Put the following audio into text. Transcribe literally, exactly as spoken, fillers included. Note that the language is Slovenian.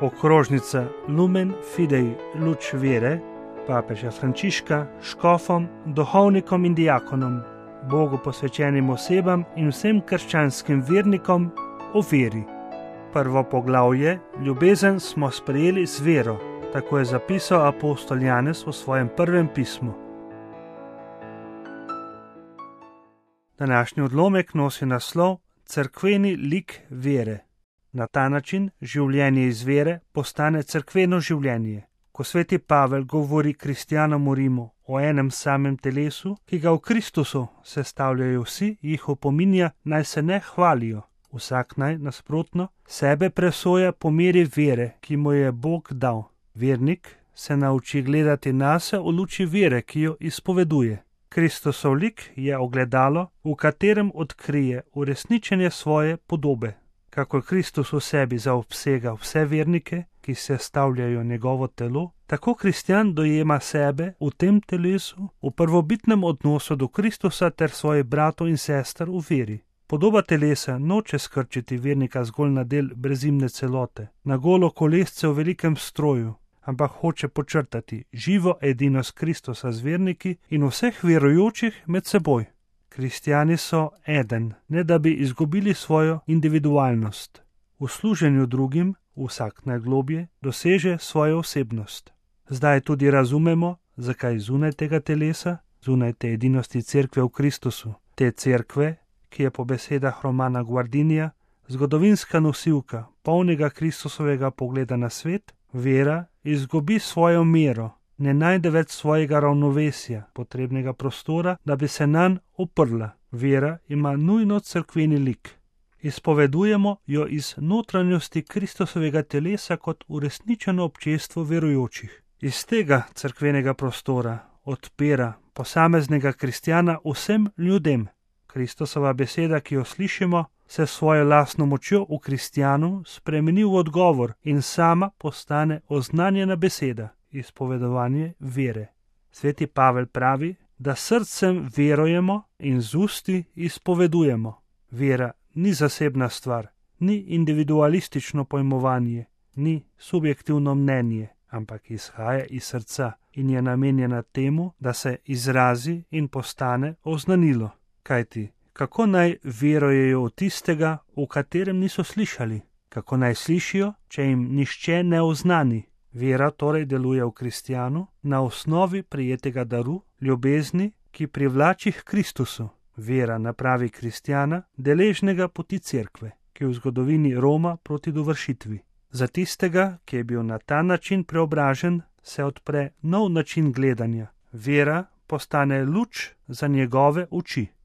okrožnica Lumen Fidei luč vere papeža Frančiška škofom, duhovnikom in diakonom, Bogu posvečenim osebam in vsem krščanskim vernikom o veri. Prvo poglavje, ljubezen smo sprejeli z vero, tako je zapisal apostol Janez v svojem prvem pismu. Današnji odlomek nosi naslov Cerkveni lik vere. Na ta način življenje iz vere postane cerkveno življenje. Ko sveti Pavel govori kristjanom v Rimu o enem samem telesu, ki ga v Kristusu sestavljajo vsi, jih opominja, naj se ne hvalijo. Vsak naj, nasprotno, sebe presoja po meri vere, ki mu je Bog dal. Vernik se nauči gledati nase v luči vere, ki jo izpoveduje. Kristusov lik je ogledalo, v katerem odkrije uresničenje svoje podobe. Kakor Kristus v sebi zaobsega vse vernike, ki sestavljajo njegovo telo, tako kristjan dojema sebe v tem telesu, v prvobitnem odnosu do Kristusa ter svojih bratov in sester v veri. Podoba telesa noče skrčiti vernika zgolj na del brezimne celote, na golo kolesce v velikem stroju, ampak hoče počrtati živo edinost Kristusa z verniki in vseh verujočih med seboj. Kristjani so eden, ne da bi izgubili svojo individualnost. V služenju drugim vsak najglobje doseže svojo osebnost. Zdaj tudi razumemo, zakaj zunaj tega telesa, zunaj te edinosti cerkve v Kristusu, te cerkve, ki je po besedah Romana Guardinija zgodovinska nosilka polnega Kristusovega pogleda na svet, vera izgubi svojo mero, ne najde več svojega ravnovesja, potrebnega prostora, da bi se nanj oprla. Vera ima nujno cerkveni lik. Izpovedujemo jo iz notranjosti Kristusovega telesa kot uresničeno občestvo verujočih. Iz tega cerkvenega prostora odpira posameznega kristjana vsem ljudem. Kristusova beseda, ki jo slišimo, se svojo lastno močjo v kristjanu spremeni v odgovor in sama postane oznanjena beseda, izpovedovanje vere. Sveti Pavel pravi, da srcem verujemo in z usti izpovedujemo. Vera ni zasebna stvar, ni individualistično pojmovanje, ni subjektivno mnenje, ampak izhaja iz srca in je namenjena temu, da se izrazi in postane oznanilo. Kajti, kako naj verujejo v tistega, v katerem niso slišali? Kako naj slišijo, če jim nihče ne oznani? Vera torej deluje v kristjanu na osnovi prijetega daru, ljubezni, ki privlači k Kristusu. Vera napravi kristjana deležnega poti cerkve, ki v zgodovini roma proti dovršitvi. Za tistega, ki je bil na ta način preobražen, se odpre nov način gledanja. Vera postane luč za njegove oči.